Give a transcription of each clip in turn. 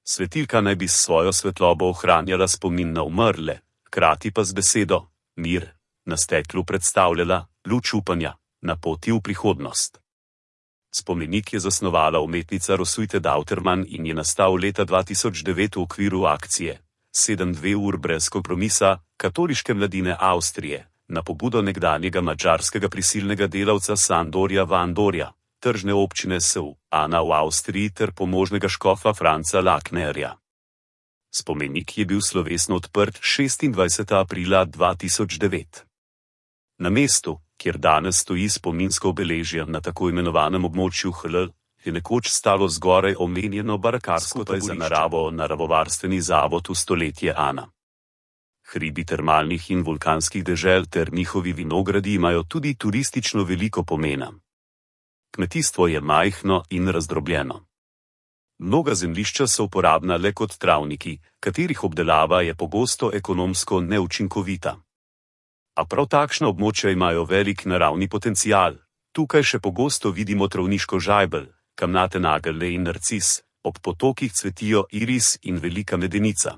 Svetilka naj bi s svojo svetlobo ohranjala spomin na umrle, hkrati pa z besedo mir na steklu predstavljala luč upanja na poti v prihodnost. Spomenik je zasnovala umetnica Roswitha Dauterman in je nastal leta 2009 v okviru akcije 7-2 ur brez kompromisa katoliške mladine Avstrije na pobudo nekdanjega madžarskega prisilnega delavca Sandorja Vandorja, tržne občine Ana v Avstriji ter pomožnega škofa Franca Laknerja. Spomenik je bil slovesno odprt 26. aprila 2009. Na mestu, kjer danes stoji spominsko obeležje na tako imenovanem območju HL, je nekoč stalo zgoraj omenjeno barakarsko taborišče za naravovarstveni zavod v stoletje Ana. Hribi termalnih in vulkanskih dežel ter njihovi vinogradi imajo tudi turistično veliko pomena. Kmetijstvo je majhno in razdrobljeno. Mnoga zemljišča so uporabna le kot travniki, katerih obdelava je pogosto ekonomsko neučinkovita. A prav takšna območja imajo velik naravni potencial. Tukaj še pogosto vidimo travniško žajbelj, kamnate nageljne in narcis, ob potokih cvetijo iris in velika medenica.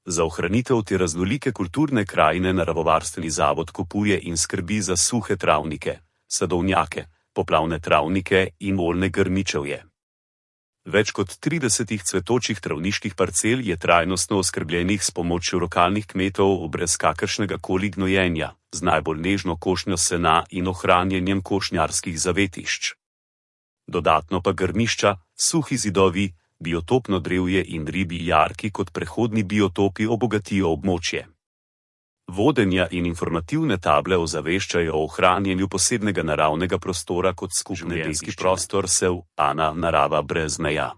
Za ohranitev te raznolike kulturne krajine naravovarstveni zavod kupuje in skrbi za suhe travnike, sadovnjake, poplavne travnike in oljne grmičevje. Več kot 30 cvetočih travniških parcel je trajnostno oskrbljenih s pomočjo lokalnih kmetov brez kakršnega koli gnojenja, z najbolj nežno košnjo sena in ohranjanjem košnjarskih zavetišč. Dodatno pa grmišča, suhi zidovi, biotopno drevje in ribji jarki kot prehodni biotopi obogatijo območje. Vodenja in informativne table ozaveščajo o ohranjanju posebnega naravnega prostora kot skupni genski prostor Ana narava brez meja.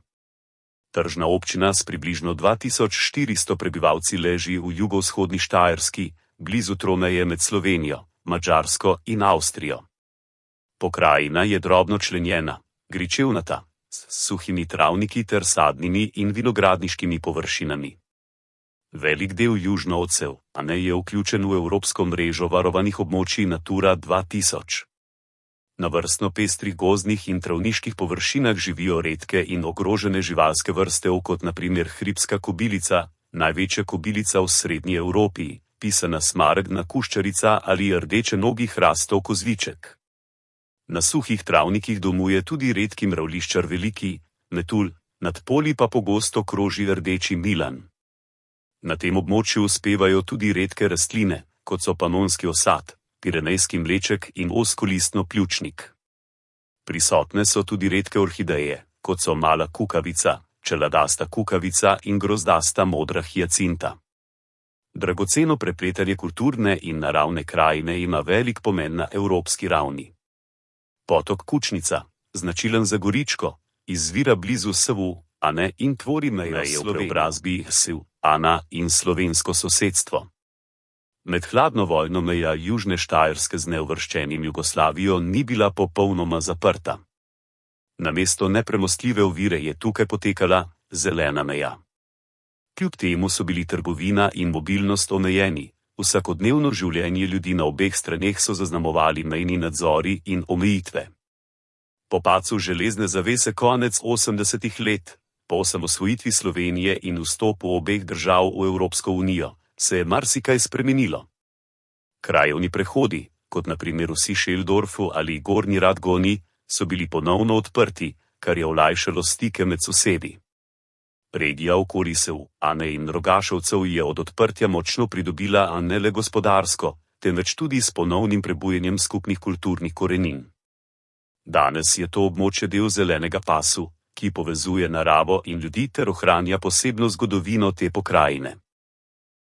Tržna občina s približno 2400 prebivalci leži v jugovzhodni Štajerski, blizu tromeje med Slovenijo, Madžarsko in Avstrijo. Pokrajina je drobno členjena, gričevnata, s suhimi travniki ter sadnimi in vinogradniškimi površinami. Velik del južno od Ane je vključen v evropsko mrežo varovanih območij Natura 2000. Na vrstno pestrih gozdnih in travniških površinah živijo redke in ogrožene živalske vrste, kot na primer hribska kobilica, največja kobilica v srednji Evropi, pisana smaragdna kuščarica ali rdeče nogi hrastov kozliček. Na suhih travnikih domuje tudi redki mravljiščar veliki metulj, nad polji pa pogosto kroži rdeči milan. Na tem območju uspevajo tudi redke rastline, kot so panonski osad, pirenejski mleček in ozkolistno pljučnik. Prisotne so tudi redke orhideje, kot so mala kukavica, čeladasta kukavica in grozdasta modra hiacinta. Dragoceno prepletanje kulturne in naravne krajine ima velik pomen na evropski ravni. Potok Kučnica, značilen za Goričko, izvira blizu Ane in tvori mejo v preobrazbi Ana in slovensko sosedstvo. Med hladno vojno meja južne Štajerske z neuvrščenim Jugoslavijo ni bila popolnoma zaprta. Namesto nepremostljive ovire je tukaj potekala zelena meja. Kljub temu so bili trgovina in mobilnost omejeni, vsakodnevno življenje ljudi na obeh straneh so zaznamovali mejni nadzori in omejitve. Po padcu železne zavese konec 80. let, po osamosvojitvi Slovenije in vstopu obeh držav v Evropsko unijo, se je marsikaj spremenilo. Krajevni prehodi, kot na primer v Šišeldorfu ali Gornji Radgoni, so bili ponovno odprti, kar je olajšalo stike med sosedi. Regija okoli Ane in Rogašovcev je od odprtja močno pridobila ne le gospodarsko, temveč tudi s ponovnim prebujenjem skupnih kulturnih korenin. Danes je to območje del zelenega pasu, ki povezuje naravo in ljudi ter ohranja posebno zgodovino te pokrajine.